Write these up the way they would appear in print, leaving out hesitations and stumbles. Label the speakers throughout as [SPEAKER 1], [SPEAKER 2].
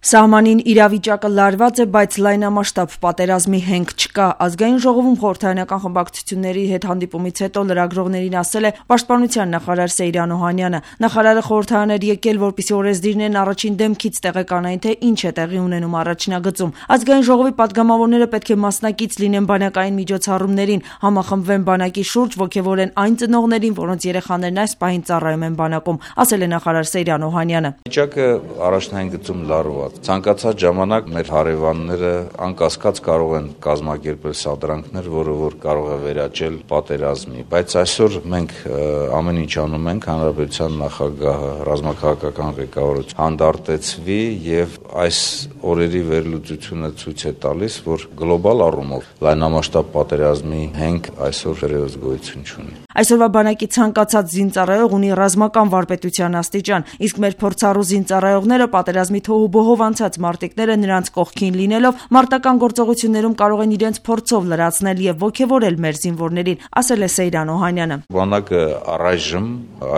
[SPEAKER 1] Սահմանին իրավիճակը լարված է, բայց լայնամասշտաբ պատերազմի հենք չկա։ Ազգային ժողովում խորհրդարանական խմբակցությունների հետ հանդիպումից հետո լրագրողներին ասել է Պաշտպանության նախարար Սեյրան Օհանյանը։ Նախարարը խորհրդարան էր եկել, որպեսզի օրենսդիրներն առաջին դեմքից տեղեկանային, թե ինչ է տեղի ունենում առաջնագծում։ Ազգային ժողովի պատգամավորները պետք է մասնակից լինեն բանակային միջոցառումներին, համախմբվեն բանակի շուրջ, ոգևորեն այն ծնողներին, որոնց երեխաներն այս պահին ծառայում են բանակում, ասել է նախարար Սեյրան Օհանյանը։
[SPEAKER 2] Վիճակը առաջնային գծում լարված։ Ցանկացած ժամանակ մեր հարևանները անկասկած կարող են կազմակերպել սադրանքներ, որը կարող է վերաճել պատերազմի, բայց այսօր մենք ամեն ինչ անում ենք, հանրապետության նախագահը, ռազմաքաղաքական ղեկավարությունը հանդարտեցվի եւ այս օրերի վերլուծությունը ցույց է տալիս, որ գլոբալ առումով լայնամասշտաբ պատերազմի հենք այսօր դեռևս գոյություն չունի։
[SPEAKER 1] Այսօրվա բանակի ցանկացած զինծառայող ունի ռազմական վարպետության աստիճան, իսկ մեր փորձառու զինծառայողները պատերազմի թոհուբոհով անցած մարտիկները նրանց կողքին լինելով մարտական գործողություններում կարող են իրենց փորձով լրացնել եւ ոգևորել մեր զինվորներին, ասել է Սեյրան Օհանյանը։
[SPEAKER 2] Բանակը առայժմ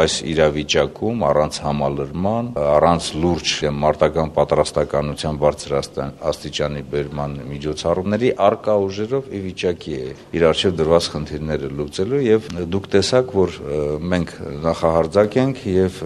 [SPEAKER 2] այս իրավիճակում առանց համալրման, առանց լուրջ մարտական պատրաստականության բարձր աստիճանի բերման միջոցառումների արկա ուժերով ի վիճակի է իր առջև դրված խնդիրները լուծելու եւ դուք տեսաք, որ մենք նախահարձակ ենք եւ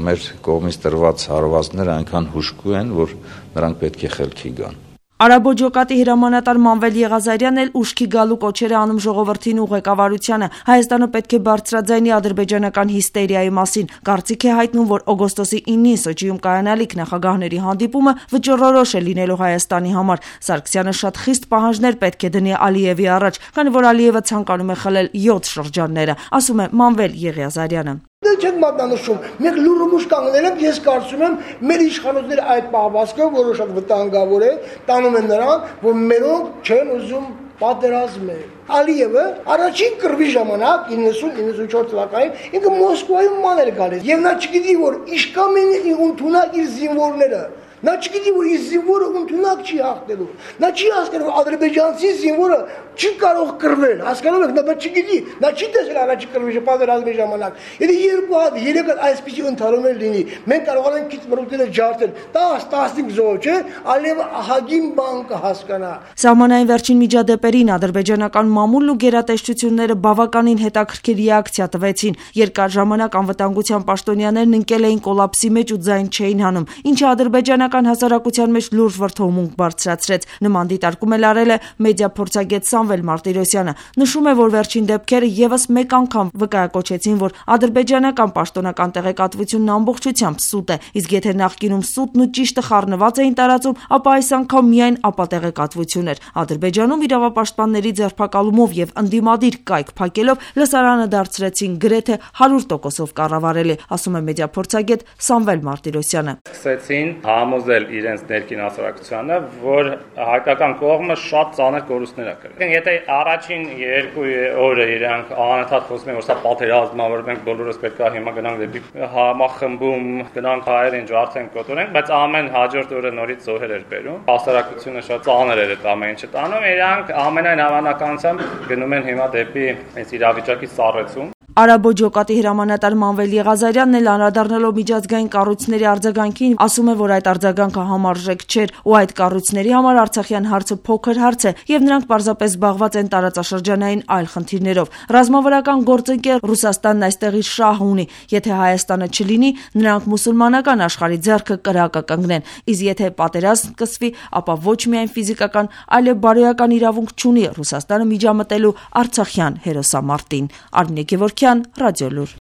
[SPEAKER 2] մեր կողմից տրված հարվածները այնքան հուժկու են, որ նրանք պետք է խելքի գան։
[SPEAKER 1] Արաբո ջոկատի հրամանատար Մանվել Եղազարյանն էլ ուշքի գալու կոչեր է անում ժողովրդին ու ղեկավարությանը։ Հայաստանը պետք է բարձրաձայնի ադրբեջանական հիստերիայի մասին։ Կարծիք է հայտնում, որ օգոստոսի 9-ին Սոչիում կայանալիք նախագահների հանդիպումը վճռորոշ է լինելու Հայաստանի համար։ Սարգսյանը շատ խիստ պահանջներ պետք է դնի Ալիևի առաջ, քանի որ Ալիևը ցանկանում է խլել 7 շրջանները, ասում է Մանվել Եղազարյանը։
[SPEAKER 3] Դե չեն մատնանշում, մենք լուրումուշ կանգնել ենք, ես կարծում եմ մեր իշխանությունները այդ պահվածքը, որը շատ վտանգավոր է, տանում են նրան, որ մերոնք չեն ուզում պատերազմել։ Ալիևը առաջին կռվի ժամանակ 90-94 թվականին ինքը Մոսկվայում ման էր գալիս, եւ նա չգիտի, որ իշկամ են ընդունակ իր զինվորները։ Նա չգիտի, որ իր զինվորը ընդունակ չի հաղթելու։ Նա չի հասկանում, որ ադրբեջանցի զինվորը չի կարող կռվել, հասկանում եք, նա չգիտի, նա չի տեսել առաջի կռվի պատերազմի ժամանակ։ Եթե 2 հատ, 3 հատ այսպիսի ընդհանրումներ լինի, մենք կարողանանք քիչ մրուկները ջարդել, 10-15 զոհ, չէ, Ալիևը ահագին բան կհասկանա։
[SPEAKER 1] Սահմանային վերջին միջադեպերին ադրբեջանական մամուլն ու գերատեսչությունները բավականին հետաքրքիր реакցիա տվեցին։ Երկար ժամանակ անվտանգության պաշտոնյաներն ընկել էին կոլապսի մեջ ու ձայն չէին հանում, ինչը ադրբեջանական հասարակության մեջ լուրջ վրդովմունք բարձրացրեց։ Նման դիտարկում էլ արել է մեդիա փորձագետ Սամվել Մարտիրոսյանը։ Նշում է, որ վերջին դեպքերը եւս մեկ անգամ վկայակոչեցին, որ ադրբեջանական պաշտոնական տեղեկատվությունն ամբողջությամբ սուտ է, իսկ եթե նախկինում սուտն ու ճիշտը խառնված էին տարածում, ապա այս անգամ միայն ապատեղեկատվություն էր։ Ադրբեջանում իրավապաշտպանների ձերբակալումով եւ ընդդիմադիր կայք փակելով լսարանը դարձրեցին գրեթե 100%-ով կառավարելի, ասում է մեդիա փորձագետ Սամվել Մարտիրոսյանը։
[SPEAKER 4] Սկսեցին համոզել իրենց ներքին հասարակությանը, որ հայկական կողմը շատ ծանր կորուստներ է կրել։ Եթե առաջին 2 օրը իրանք անընդհատ խոսում են, որ սա պատերազմ է, որ մենք բոլորս պետք է հիմա գնանք դեպի համախմբում, գնանք հայերին ջարդենք, կոտորենք, բայց ամեն հաջորդ օրը նորից զոհեր էր բերում։ Հասարակությունը շատ ծանր էր այդ ամեն ինչը տանում, իրանք ամենայն հավանականությամբ գնում են հիմա դեպի այս իրավիճակի սառեցում։
[SPEAKER 1] Արաբո ջոկատի հրամանատար Մանվել Եղազարյանն էլ անդրադառնալով միջազգային կառույցների արձագանքին ասում է, որ այդ արձագանքը համարժեք չէր ու այդ կառույցների համար Արցախյան հարցը փոքր հարց է եւ նրանք պարզապես զբաղված են տարածաշրջանային այլ խնդիրներով։ Ռազմավարական գործընկեր Ռուսաստանն այստեղ իր շահ ունի, եթե Հայաստանը չլինի, նրանք մուսուլմանական աշխարհի ձեռքը կրակը կընկնեն, իսկ եթե պատերազմ սկսվի, ապա ոչ միայն ֆիզիկական, այլև բարոյական իրավունք չունի Ռուսաստանը միջամտելու Արցախյան հերոսամարտին։ Արմինե Գևորգյան, Ռադիոլուր։